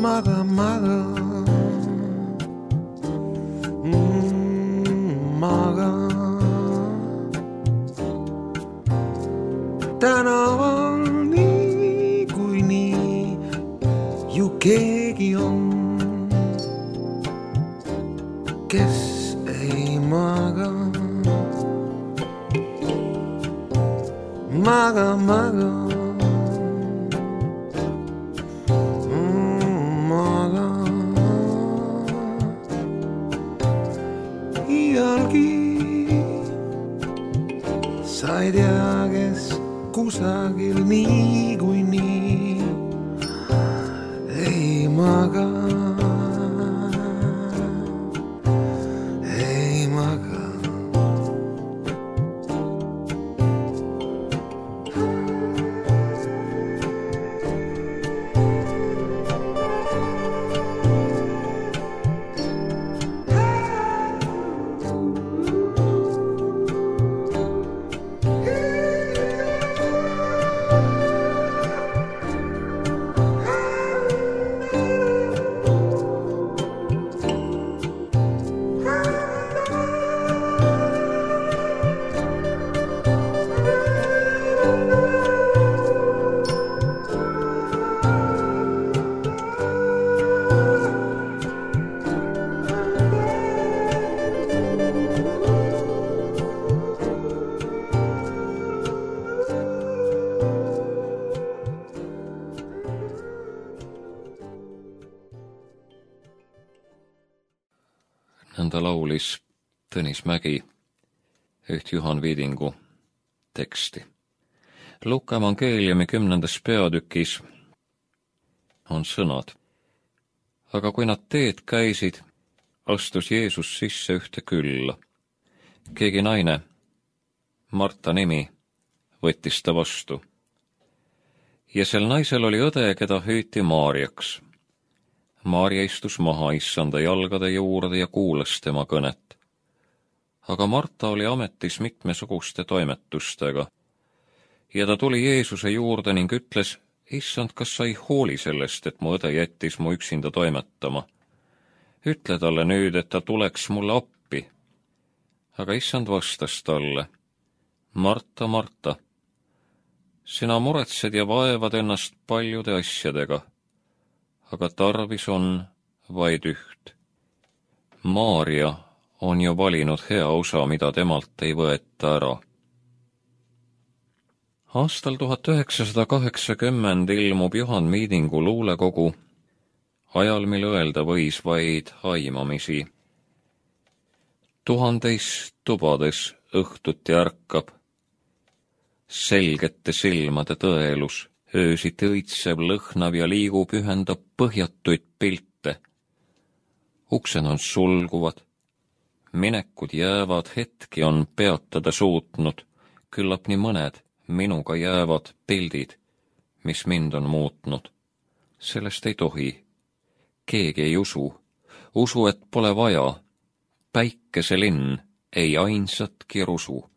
maga, maga. Maga. Tänaval nii kui nii ju keegi on, kes ei maga. Maga, maga. Maga. Iialgi sa ei tea, kes kusagil nii kui nii ei maga. Ei maga. Nõnda laulis Tõnis Mägi üht Juhan Viidingu teksti. Luuka evangeeliumi 10. peatükis on sõnad. Aga kui nad teed käisid, astus Jeesus sisse ühte külla. Keegi naine, Marta nimi, võttis ta vastu. Ja sel naisel oli õde, keda hüüti Maarjaks. Maarja istus maha issanda jalgade juurde ja kuulas tema kõnet. Aga Marta oli ametis mitmesuguste toimetustega. Ja ta tuli Jeesuse juurde ning ütles, issand, kas sa ei hooli sellest, et mu õde jättis mu üksinda toimetama? Ütle talle nüüd, et ta tuleks mulle appi. Aga issand vastas talle, Marta, Marta, sina muretsed ja vaevad ennast paljude asjadega, aga tarvis on vaid üht. Maarja on ju valinud hea osa, mida temalt ei võeta ära. Aastal 1980 ilmub Juhan Viidingu luulekogu, ajal, mil öelda võis vaid aimamisi. 1000 tubades õhtuti ärkab, selgete silmade tõelus, öösiti õitsev, lõhnav ja liigub, ühendab põhjatuid pilte. Uksed on sulguvad, minekud jäävad, hetki on peatada suutnud, küllap nii mõned minuga jäävad pildid, mis mind on muutnud. Sellest ei tohi. Keegi ei usu, et pole vaja. Päikeselinn ei ainsatki rusu.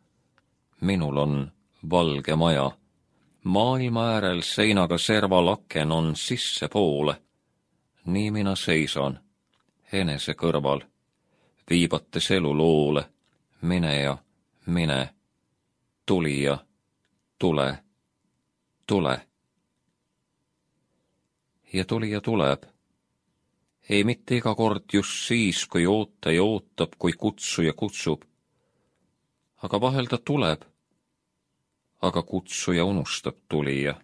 Minul on valge maja. Maailma äärel seinaga serval aken on sissepoole. Nii mina seisan, enese kõrval, viibates elu loole, mine ja mine, tulija, tule, tule. Ja tulija tuleb. Ei mitte iga kord just siis, kui ootaja ootab, kui kutsuja kutsub. Aga vahel ta tuleb. Aga kutsuja unustab tulija.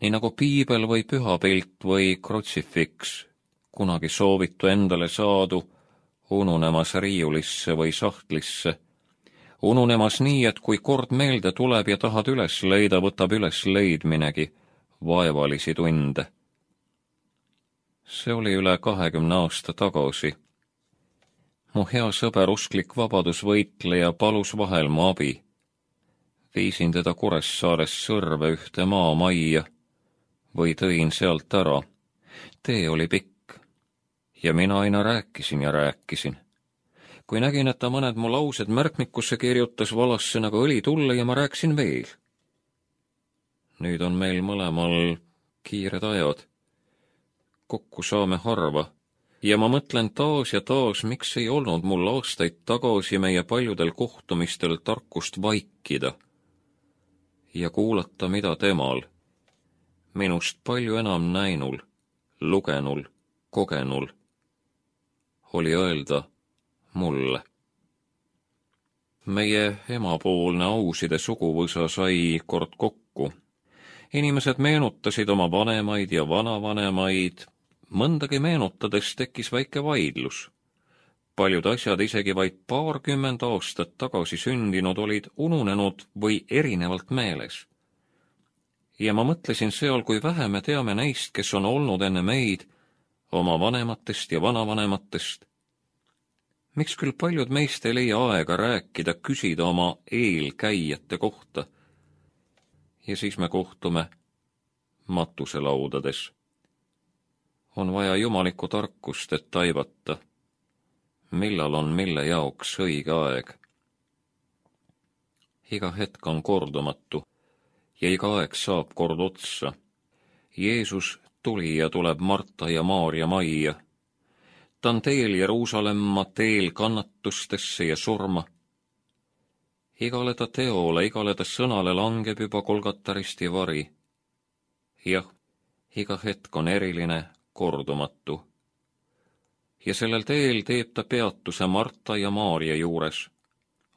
Nii nagu piibel või pühapilt või krutsifiks, kunagi soovitu endale saadu, ununemas riiulisse või sahtlisse. Ununemas nii, et kui kord meelde tuleb ja tahad üles leida, võtab üles leidminegi vaevalisi tunde. See oli üle 20 aasta tagasi. Mu hea sõber, usklik vabadusvõitleja palus vahel mu abi. Viisin teda Kuressaares Sõrve ühte maamajja või tõin sealt ära. Tee oli pikk ja mina aina rääkisin ja rääkisin. Kui nägin, et ta mõned mu laused märkmikusse kirjutas, valas see nagu õli tulle ja ma rääkisin veel. Nüüd on meil mõlemal kiired ajad. kokku saame harva ja ma mõtlen taas ja taas, miks ei olnud mul aastaid tagasi meie paljudel kohtumistel tarkust vaikida ja kuulata, mida temal, minust palju enam näinul, lugenul, kogenul, oli öelda mulle. Meie emapoolne Auside suguvõsa sai kord kokku. Inimesed meenutasid oma vanemaid ja vanavanemaid, mõndagi meenutades tekkis väike vaidlus. Paljud asjad isegi vaid 20 aastat tagasi sündinud olid ununenud või erinevalt meeles. Ja ma mõtlesin seal, kui vähe me teame neist, kes on olnud enne meid, oma vanematest ja vanavanematest. Miks küll paljud meist ei leia aega rääkida, küsida oma eelkäijate kohta? Ja siis me kohtume matuselaudades. On vaja jumalikku tarkust, et taibata, millal on mille jaoks õige aeg. Iga hetk on kordumatu ja iga aeg saab kord otsa. Jeesus tuli ja tuleb Marta ja Maarja majja. Ta on teel Jeruusalemma, teel kannatustesse ja surma. Igale ta teole, igale ta sõnale langeb juba Golgata risti vari. Jah, iga hetk on eriline, kordumatu. Ja sellel teel teeb ta peatuse Marta ja Maarja juures,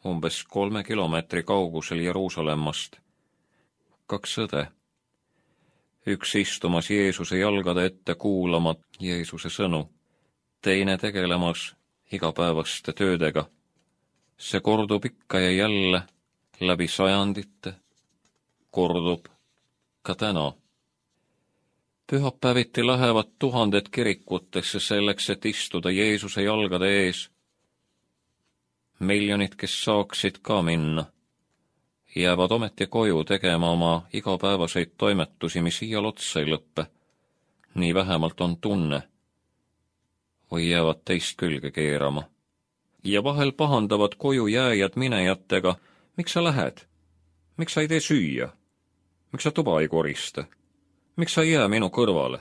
umbes 3 kilomeetri kaugusel Jeruusalemmast. 2 õde. Üks istumas Jeesuse jalgade ette kuulama Jeesuse sõnu, teine tegelemas igapäevaste töödega. See kordub ikka ja jälle läbi sajandite, kordub ka täna. Pühapäeviti lähevad 1000 kirikutesse selleks, et istuda Jeesuse jalgade ees. Miljonid, kes saaksid ka minna, jäävad ometi koju tegema oma igapäevaseid toimetusi, mis iial otsa ei lõppe. Nii vähemalt on tunne. Või jäävad teist külge keerama. Ja vahel pahandavad koju jääjad minejatega, miks sa lähed? Miks sa ei tee süüa? Miks sa tuba ei korista? Miks sa ei jää minu kõrvale?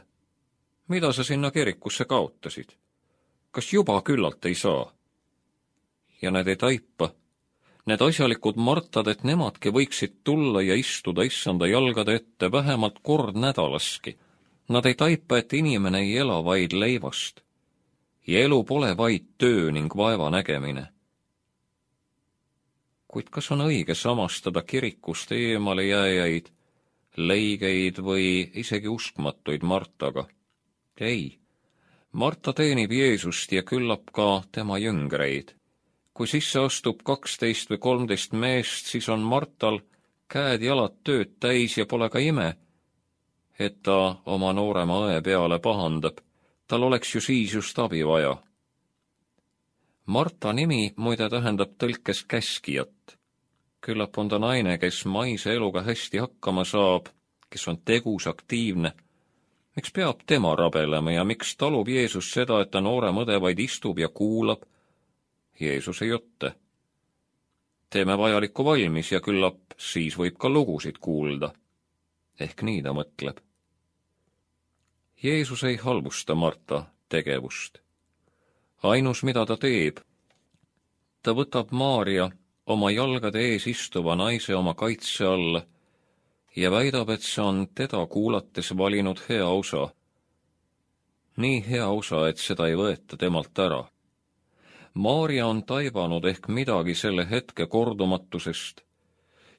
Mida sa sinna kirikusse kaotasid? Kas juba küllalt ei saa? Ja need ei taipa. Need asjalikud Martad, et nemadki võiksid tulla ja istuda issanda jalgade ette vähemalt kord nädalaski. Nad ei taipa, et inimene ei ela vaid leivast. Ja elu pole vaid töö ning vaeva nägemine. Kuid kas on õige samastada kirikust eemale jääjaid, leigeid või isegi uskmatuid Martaga? Ei. Marta teenib Jeesust ja küllap ka tema jüngreid. Kui sisse astub 12 või 13 meest, siis on Martal käed-jalad tööd täis ja pole ka ime, et ta oma noorema õe peale pahandab. Tal oleks ju siis just abi vaja. Marta nimi muide tähendab tõlkes käskijat. Küllap on ta naine, kes maise eluga hästi hakkama saab, kes on tegus, aktiivne. Miks peab tema rabelema ja miks talub Jeesus seda, et ta noorem õde vaid istub ja kuulab Jeesuse jutte? Teeme vajalikku valmis ja küllap siis võib ka lugusid kuulda. Ehk nii ta mõtleb. Jeesus ei halvusta Marta tegevust. Ainus, mida ta teeb, ta võtab Maarja oma jalgade ees istuva naise oma kaitse alla ja väidab, et see on teda kuulates valinud hea osa. Nii hea osa, et seda ei võeta temalt ära. Maarja on taibanud ehk midagi selle hetke kordumatusest,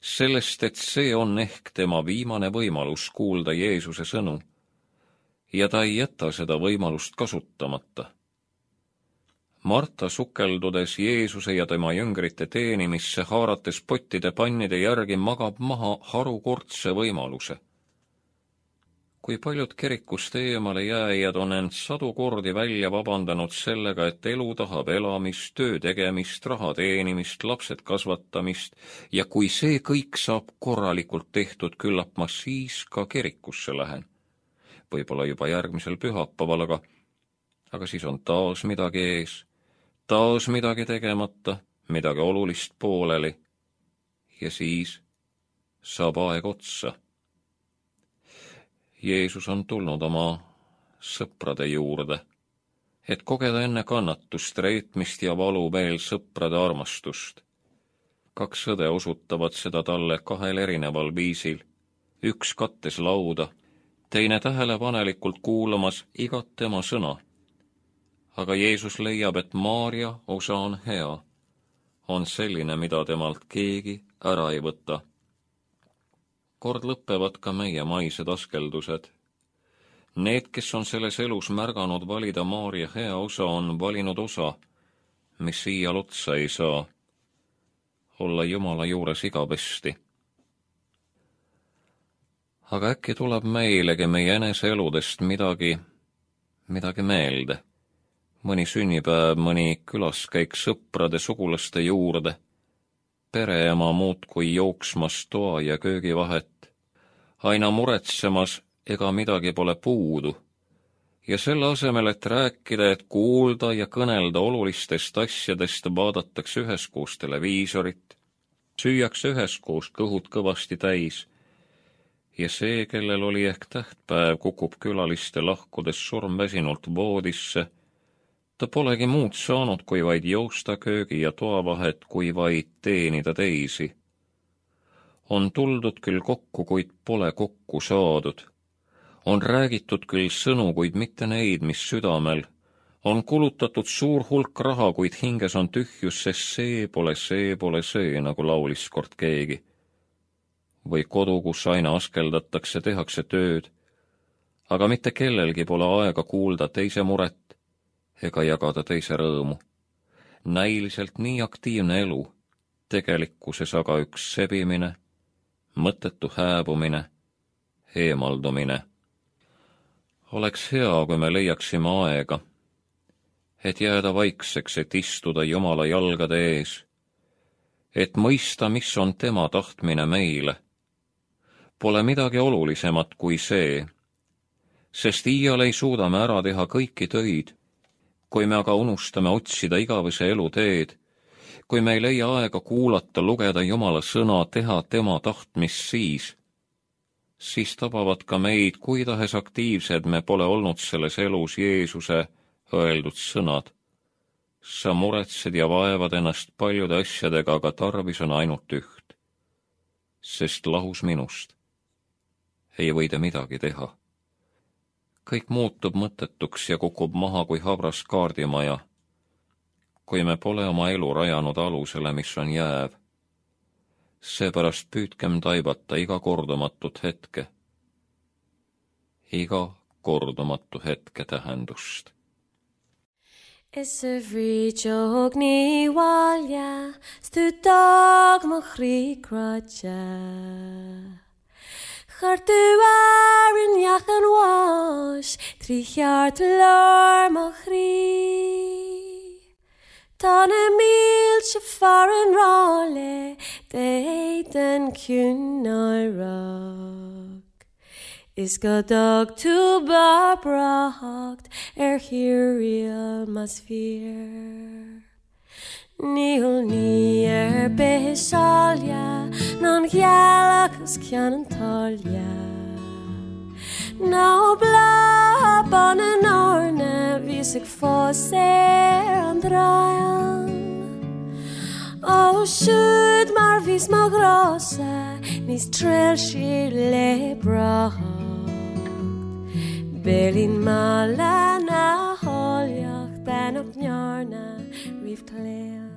sellest, et see on ehk tema viimane võimalus kuulda Jeesuse sõnu. Ja ta ei jäta seda võimalust kasutamata. Marta sukeldudes Jeesuse ja tema jüngrite teenimisse, haarates pottide pannide järgi, magab maha harukordse võimaluse. Kui paljud kirikust eemale jääjad on end 100 kordi välja vabandanud sellega, et elu tahab elamist, töö tegemist, raha teenimist, lapsed kasvatamist, ja kui see kõik saab korralikult tehtud, küllap ma siis ka kirikusse lähen. Võib-olla juba järgmisel pühapäeval, aga siis on taas midagi ees, taas midagi tegemata, midagi olulist pooleli, ja siis saab aeg otsa. Jeesus on tulnud oma sõprade juurde, et kogeda enne kannatust, reetmist ja valu veel sõprade armastust. 2 õde osutavad seda talle 2 erineval viisil. Üks kattes lauda, teine tähelepanelikult kuulamas igat tema sõna. Aga Jeesus leiab, et Maarja osa on hea, on selline, mida temalt keegi ära ei võta. Kord lõppevad ka meie maised askeldused. Need, kes on selles elus märganud valida Maarja hea osa, on valinud osa, mis iial otsa ei saa, olla Jumala juures igavesti. Aga äkki tuleb meilegi meie enese eludest midagi meelde. Mõni sünnipäev, mõni külaskäik sõprade sugulaste juurde, pereema muudkui jooksmas toa ja köögi vahet, aina muretsemas, ega midagi pole puudu. Ja selle asemel, et rääkida, et kuulda ja kõnelda olulistest asjadest, vaadatakse üheskoos televiisorit, süüakse üheskoos kõhud kõvasti täis. Ja see, kellel oli ehk tähtpäev, kukub külaliste lahkudes surmväsinult voodisse. Ta polegi muud saanud, kui vaid joosta köögi ja toavahet, kui vaid teenida teisi. On tuldud küll kokku, kuid pole kokku saadud. On räägitud küll sõnu, kuid mitte neid, mis südamel. On kulutatud suur hulk raha, kuid hinges on tühjus, sest see pole see, nagu laulis kord keegi. Või kodu, kus aina askeldatakse, tehakse tööd, aga mitte kellelgi pole aega kuulda teise muret ega jagada teise rõõmu. Näiliselt nii aktiivne elu, tegelikkuses aga üks sebimine, mõttetu hääbumine, eemaldumine. Oleks hea, kui me leiaksime aega, et jääda vaikseks, et istuda Jumala jalgade ees, et mõista, mis on tema tahtmine meile. Pole midagi olulisemat kui see, sest iial ei suuda me ära teha kõiki töid, kui me aga unustame otsida igavese elu teed, kui me ei leia aega kuulata, lugeda Jumala sõna, teha tema tahtmist siis tabavad ka meid, kui tahes aktiivsed me pole olnud selles elus Jeesuse öeldud sõnad. Sa muretsed ja vaevad ennast paljude asjadega, aga tarvis on ainult üht, sest lahus minust ei või te midagi teha. Kõik muutub mõttetuks ja kukub maha kui habras kaardimaja, kui me pole oma elu rajanud alusele, mis on jääv. Seepärast püüdkem taibata iga kordumatut hetke tähendust. Is a vrichog ni walja, stutag machri kratja. Chartuarin jachan wash, trichart lor machri. Dan miltje farin rolle, deiten kunarok. Is godog to barbracht, hirial masfeer. Níl ní besalja, non gialacus cianan tolja. No bla ban an orne, visig fos an drajan. O sjud mar vis mag rosa, nis trell le bracht. Belin mala na holjach, ben op njarna, rif klea.